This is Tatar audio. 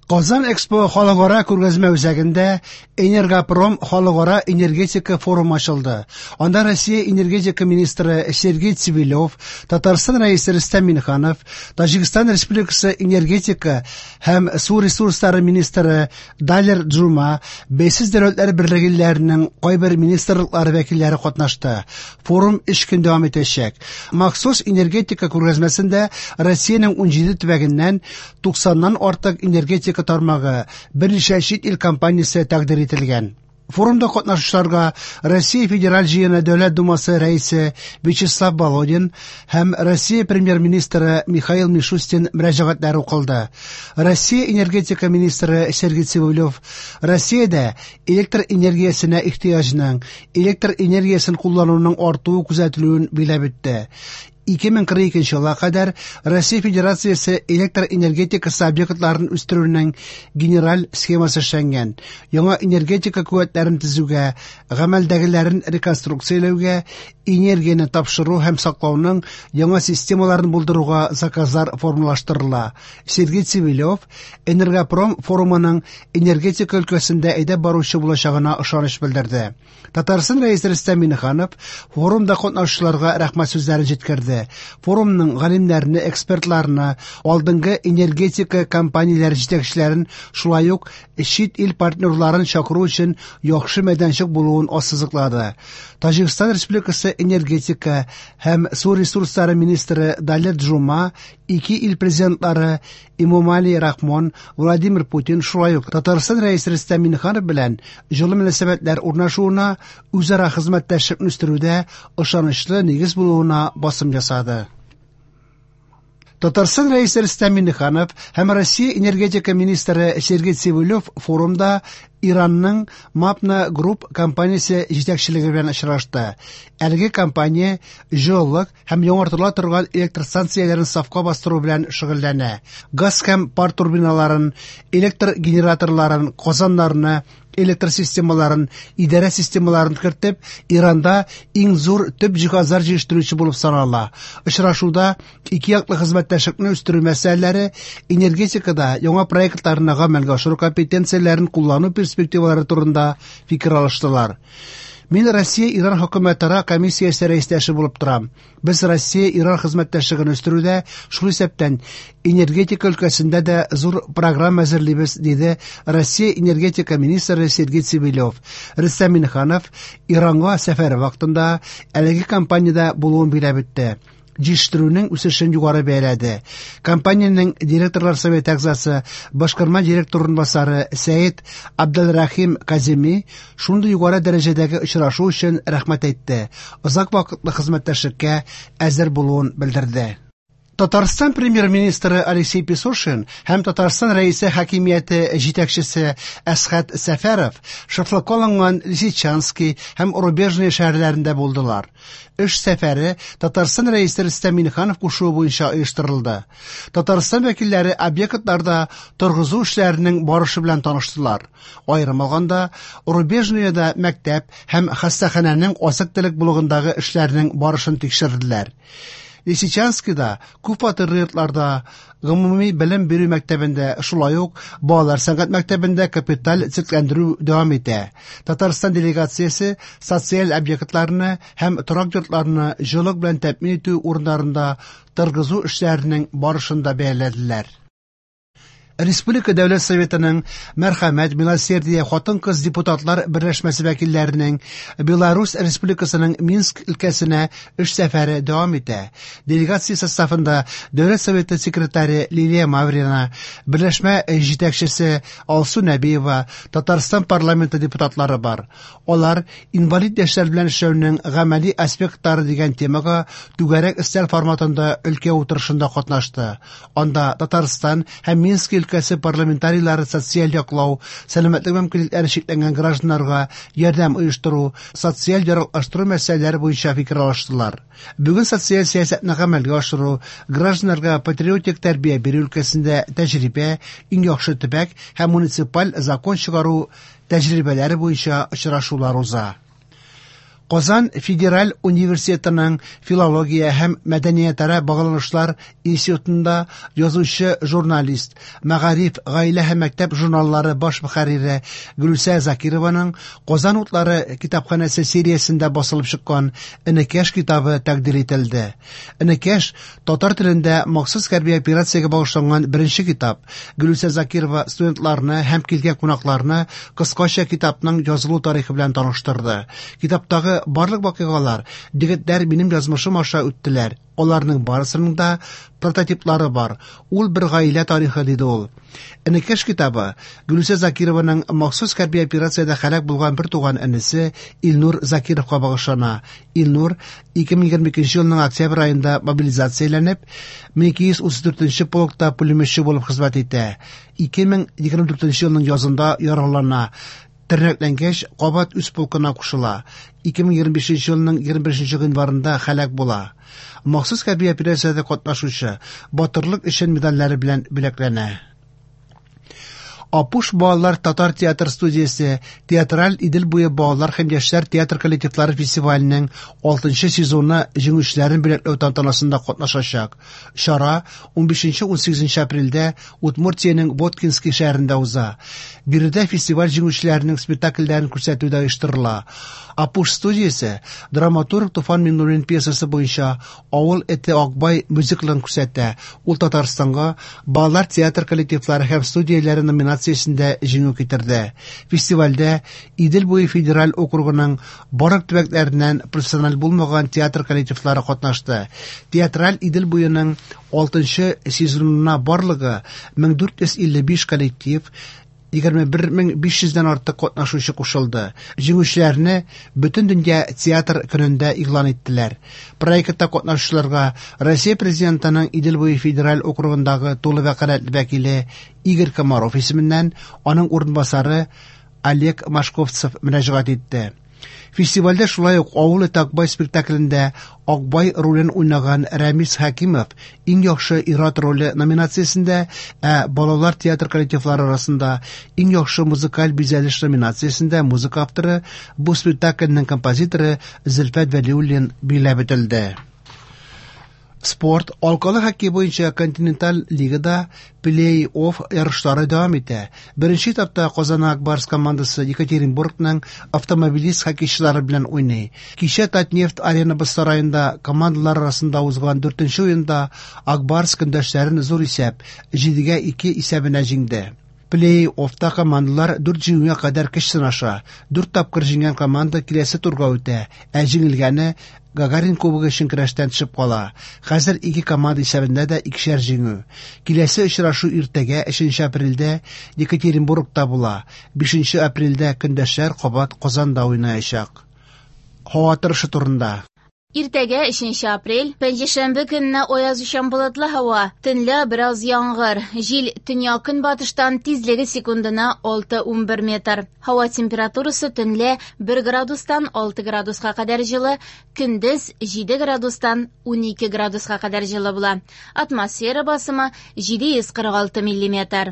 Казан Экспо халыкара күргәзмә үзәгендә Энергопром халыкара энергетика форумы ачылды. Анда Россия энергетика министры Сергей Цивилев, Татарстан Рәисе Рөстәм Миңнеханов, Таҗикстан Республикасы энергетика һәм су ресурслары министры Далер Джума, Бәйсез дәүләтләр берлеге илләренең кайбер министрлыклары вәкилләре катнашты. Форум 3 көн дәвам итәчәк. Махсус энергетика күргәзмәсендә Россиянең 17 төбәгеннән 90-нан артык энергетика тармагы, берничә чит ил компаниясе тәкъдир ителгән. Форумда катнашучыларга Россия Федераль Җыены Дәүләт Думасы рәисе Вячеслав Володин һәм Россия премьер-министры Михаил Мишустин мөрәҗәгатьләре укылды. Россия энергетика министры Сергей Цивилев Россиядә электр энергиясенә ихтыяҗның, электр энергиясен куллануның артуы күзәтелүен биләп үтте. 2042 елга кадәр Россия Федерациясе электр энергетикасы объектларын үстерүнең генераль схемасы эшләнгән. Яңа энергетика куәтләрен төзүгә, гамәлдәгеләрен реконструкцияләүгә, энергияне тапшыру һәм саклауның яңа системаларын булдыруга заказлар формалаштырыла. Сергей Цивилев Энергопром форумының энергетика өлкәсендә әйдәп баручы булачагына ышаныч белдерде. Татарстан Рәисе Рөстәм Миңнеханов форумда катнашучыларга рәхмәт сүзләрен җиткерде. Форумның галимнәрне, экспертларны, алдынгы энергетика компанияләре җитәкчеләрен, шулай ук чит ил партнерларын чакыру өчен яхшы мәйданчык булуын ассызыклады. Таҗикстан Республикасы энергетика һәм су ресурслары министры Далер Джума ике ил президентлары Эмомали Рахмон, Владимир Путин, шулай ук Татарстан Рәисе Рөстәм Миңнеханов белән җылы мөнәсәбәтләр урнашуына, үзара хезмәттәшлекне үстерүдә ышанычлы нигез булуына басым ясады. Татарстан Рәисе Рөстәм Миңнеханов һәм Россия энергетика министры Сергей Цивилев форумда Иранның Mapna Group компаниясе җитәкчелеге белән очрашты. Әлеге компания җылылык һәм яңартыла торган электр станцияләрен сафка бастыру белән шөгыльләнә. Газ һәм пар турбиналарын, электр генераторларын, казаннарны, электр системаларын, идарә системаларын кертеп, Иранда иң зур төп җиһазлар җитештерүче булып санала. Очрашуда ике яклы хезмәттәшлекне үстерү мәсьәләләре, энергетикада яңа проектларны гамәлгә ашыру компетенцияләрен куллану перспективалары турында фикер алыштылар. Мин Россия-Иран хөкүмәтара комиссиясе рәистәше булып торам. Без Россия-Иран хезмәттәшлеген үстерүдә, шул исәптән энергетика өлкәсендә дә зур программа әзерлибез, диде Россия энергетика министры Сергей Цивилев. Рөстәм Миңнеханов Иранга сәфәре вакытында әлеге компаниядә булуын биләп үтте. Җитештерүнең үсешен югары бәяләде. Компаниянең директорлар советы әгъзасы, башкарма директор урынбасары Сәет Абделрахим Каземи шундый югары дәрәҗәдәге очрашу өчен рәхмәт әйтте. Озак вакытлы хезмәттәшлеккә әзер булуын белдерде. Татарстан премьер-министры Алексей Песошин һәм Татарстан Рәисе хакимияте җитәкчесе Әсхәт Сәфәров шефлыкка алынган Лисичанский һәм Рубежное шәһәрләрендә булдылар. Эш сәфәре Татарстан Рәисе Рөстәм Миңнеханов кушуы буенча оештырылды. Татарстан вәкилләре объектларда торгызу эшләренең барышы белән таныштылар. Аерым алганда, Рубежноеда мәктәп һәм хастаханәнең азык-төлек блогындагы эшләрнең барышын тикшерделәр. Лисичанскида күп фатирлы йортларда, гомуми белем бирү мәктәбендә, шулай ук балалар сәнгать мәктәбендә капиталь төзекләндерү дәвам итә. Татарстан делегациясе социаль объектларны һәм торак йортларны җылылык белән тәэмин итү урыннарында торгызу эшләренең барышын да бәяләделәр. Республика Дәүләт Советының Мәрхәмәт, Милосердие хатын-кыз депутатлар берләшмәсе вәкилләренең Беларусь Республикасының Минск өлкәсенә эш сәфәре дәвам итә. Делегация составында Дәүләт Советы секретаре Лилия Маврина, берләшмә җитәкчесе Алсу Нәбиева, Татарстан парламенты депутатлары бар. Алар инвалид яшьләр белән эшләүнең гамәли аспектлары дигән темага түгәрәк өстәл форматында өлкә утырышында катнашты. Анда Татарстан һәм Минск өлкәсе парламентарийлары социаль яклау, сәламәтлек мөмкинлекләре чикләнгән гражданнарга ярдәм оештыру, социаль яраклаштыру мәсьәләләре буенча фикер алыштылар. Бүген социаль сәясәтне гамәлгә ашыру, гражданнарга патриотик тәрбия бирү өлкәсендә тәҗрибә, иң яхшы төбәк һәм муниципаль закон чыгару тәҗрибәләре буенча очрашулар уза. Казан федераль университетының филология һәм мәдәниятара багланышлар институтында язучы, журналист, Мәгариф, Гаилә һәм мәктәп журналлары баш мөхәррире Гөлүсә Закированың Казан утлары китапханәсе сериясендә басылып чыккан Энекәш китабы тәкъдир ителде. Энекәш татар телендә махсус хәрби операциягә багышланган беренче китап. Гөлүсә Закирова студентларны һәм килгән кунакларны кыскача китапның язылу тарихы белән таныштырды. Китаптагы барлык вакыйгалар егетләр минем язмышым аша үттеләр. Аларның барысының да прототиплары бар. Ул бер гаилә тарихы, диде ул. Энекәш китабы Гөлүсә Закированың махсус хәрби операциядә һәлак булган бер туган энесе Илнур Закировка багышлана. Илнур 2022 елның октябрь аенда мобилизацияләнеп, 1234 полкта пулеметчы булып хезмәт итә. 2024 елның язында яралана. Тернәкләнгәч, кабат үз полкына кушыла. 2025 елның 21 гыйнварында һәлак була. Махсус хәрби операциядә катнашучы Батырлык өчен медальләре белән бүләкләнә. Апуш балалар татар театр студиясе Театраль Идел буе балалар һәм яшьләр театр коллективлары фестиваленең 6 сезоны җиңүчеләрен бүләкләү тантанасында катнашачак. Чара 15-18 апрельдә Удмуртиянең Воткинский шәһәрендә уза. Биредә фестиваль җиңүчеләренең спектакльләрен күрсәтү дә оештырыла. Апуш студиясе драматург Туфан Миңнуллин пьесасы буенча Авыл эте Акбай мюзиклын күрсәтә. Ул Татарстанга балалар театр коллективлары һәм студияләре номинациясендә җиңү китерде. Фестивальдә Идел буе федераль округының барлык төбәкләреннән профессиональ булмаган театр коллективлары катнашты. Театраль Идел буеның 6 сезонына барлыгы 1455 коллектив, 21500 дән артык катнашучы кушылды. Җиңүчеләрне Бөтендөнья театр көнендә игълан иттеләр. Проектта катнашучыларга Россия Президентының Идел буе федераль округындагы тулы вәкаләтле вәкиле Игорь Комаров исеменнән аның урынбасары Олег Машковцев мөрәҗәгать итте. Фестивальдә шулай ук Авыл эте Акбай спектаклендә Акбай ролен уйнаган Рәмис Хәкимов иң яхшы ир-ат роле номинациясендә, ә балалар театр коллективлары арасында иң яхшы музыкаль бизәлеш номинациясендә музыка авторы, бу спектакльнең композиторы Зөлфәт Вәлиуллин билгеләп үтелде. Спорт, алкалы хоккей буенча континенталь лигада плей-офф ярышлары дәвам итә. Беренче этапта Казан Ак Барс командасы Екатеринбургның Автомобилист хоккейчылары белән уйный. Кичә Татнефть Арена боз сараенда командалар арасында узган дүртенче уенда Ак Барс көндәшләрен зур исәп 7-2 исәбенә җиңде. Плей-оффта командалар дүрт җиңүгә кадәр көч сынаша. Дүрт тапкыр җиңгән команда киләсе турга үтә, ә җиңелгәне Гагарин кубогы өчен көрәштән төшеп кала. Хәзер ике команда исәбендә дә икешәр җиңү. Киләсе очрашу иртәгә, 3 апрельдә Екатеринбургта була. 5 апрельдә көндәшләр кабат Казанда уйнаячак. Һава торышы турында. Иртәгә, 3 апрель, пәнҗешәмбе көнне аязучан болытлы һава, төнлә бераз яңгыр. Җил төньяк-көнбатыштан, тизлеге секундына 6-11 метр. Һава температурасы төнлә 1 градустан 6 градуска кадәр җылы, көндез 7 градустан 12 градуска кадәр җылы була. Атмосфера басымы 746 миллиметр.